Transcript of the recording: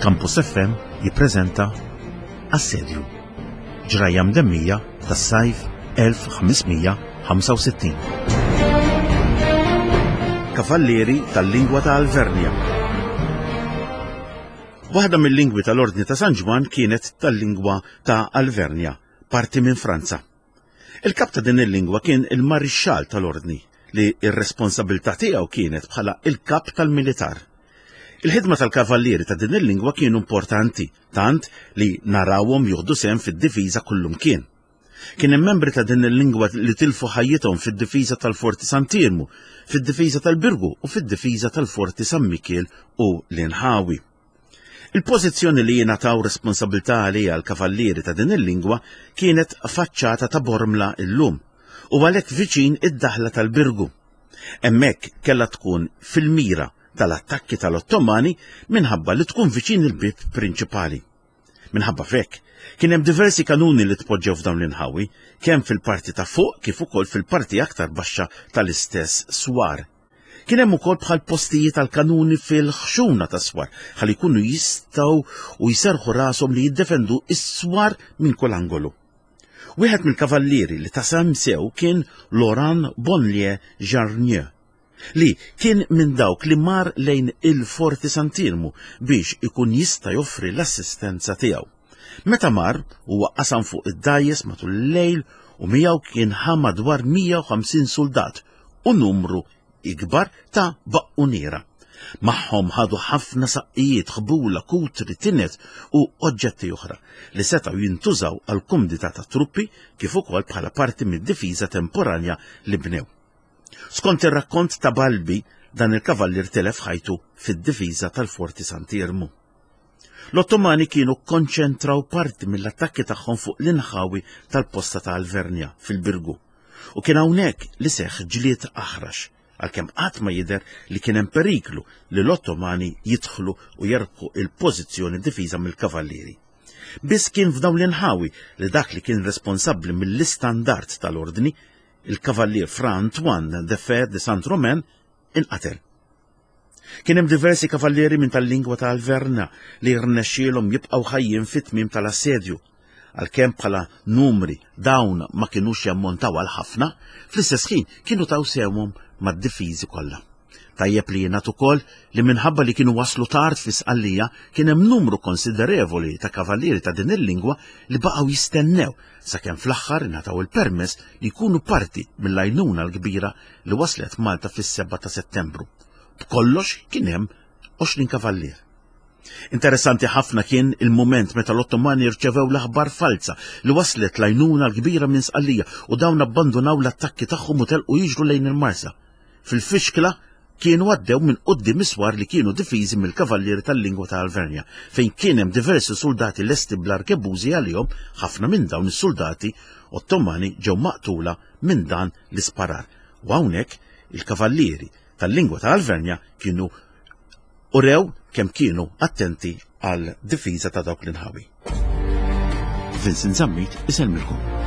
Campus FM jippreżenta Assedju. Ġrajja mdemmija tas-sajf 1565. Kavallieri tal-lingwa ta' Alvernja. Waħda mill-lingwi tal-Ordni ta' San Ġwann kienet tal-lingwa ta' Alvernja, parti minn Franza. Il-kap ta' din il-lingwa kien il-marixxall tal-Ordni, li r-responsabilità tiegħu kienet bħala il-kap tal-militar. Il-ħidma tal-kavallieri ta' din il-lingwa kienu importanti, tant li narawhom jieħdu sehem fid-difiża kullumkien. Kien hemm membri ta' din il-lingwa li tilfu ħajjithom fid-difiża tal-Forti Sant'Iermu, fid-difiża tal-Birgu u fid-difiża tal-Forti San Mikiel u l-inħawi. Il-pożizzjoni li jingħataw responsabilità għaliha l-kavallieri ta' din il-lingwa kienet faċċata ta' Bormla illum u għalhekk viċin id-daħla tal-Birgu. Hemmhekk kellha tkun fil-mira tal-attakki tal-Ottomani minħabba li tkun viċin il-bieb prinċipali. Minħabba f'hekk, kien hemm diversi kanuni li tpoġġew f'dawn l-inħawi, kemm fil-parti ta' fuq kif ukoll fil-parti aktar baxxa tal-istess swar. Kien hemm ukoll bħal postijiet għal kanuni fil-ħxuna tas-swar ħalli jkunu jistgħu u jserrħu rashom li jiddefendu s-swar minn kull angolu. Wieħed mill-kavallieri li ta sehem sew kien Laurent Bonlier Jarnieu, li kien minn dawk li mar lejn il-Forti Sant'Iermu biex ikun jista' joffri l-assistenza tiegħu. Meta mar, huwa qasam fuq id-dgħajjes matul il-lejl u miegħu kien ħa madwar 150 suldat u numru ikbar ta' baqquniera. Magħhom ħadu ħafna saqqijiet, ħbula, kutri, tinet u oġġetti oħra li setgħu jintużaw għall-kumdità tat-truppi kif ukoll bħala parti mid-difiża temporanja li bnew. Skont ir-rakkont ta' Balbi, dan il-kavallier tilef ħajtu fid-difiża tal-Forti Sant'Iermu. L-Ottomani kienu kkonċentraw parti mill-attakki tagħhom fuq l-inħawi tal-posta ta' Alvernja fil-Birgu. U kien hawnhekk li seħħ ġlied aħrax, għalkemm qatt ma jidher li kien hemm periklu li l-Ottomani jidħlu u jerbħu il-pożizzjoni difiża mill-kavallieri. Biss kien f'dawn l-inħawi li dak li kien responsabbli mill-istandard tal-ordni il-Kavallier Fra Antoine de Fer de Saint-Romain inqatel. Kien hemm diversi kavallieri minn tal-lingwa ta' Alverna li rnexxielhom jibqgħu ħajjin fit-tmiem tal-assedju. Għalkemm bħala numri dawn ma kinux jammontaw għal ħafna, fl-istess ħin kienu taw sehemhom mad-difiżi kollha. Tajjeb li jingħad ukoll li minħabba li kienu waslu tard fi Sqallija kien hemm numru konsiderevoli ta' kavallieri ta' din il-lingwa li baqgħu jistennew sakemm fl-aħħar ingħataw il-permess li jkunu parti mill-għajnuna l-kbira li waslet Malta fis-7 ta' Settembru. B'kollox kien hemm 20 kavallier. Interessanti ħafna kien il-mument meta l-Ottomani rċevew l-aħbar falza li waslet l-għajnuna l-kbira minn Sqallija u dawn abbandunaw l-attakki tagħhom u telqu jiġru lejn il-Marsa. Fil-fixkla kienu għaddew minn quddiem is-swar li kienu difiżi mill-kavallieri tal-lingwa ta' Alvernja, fejn kien hemm diversi suldati lesti bl-arkebużi għalihom, ħafna minn dawn is-suldati Ottomani ġew maqtula minn dan l-isparar. U hawnhekk il-kavallieri tal-lingwa ta' Alvernja kienu urew kemm kienu attenti għal difiża ta' dawk l-inħawi. Vincent Zammit isellmilkom.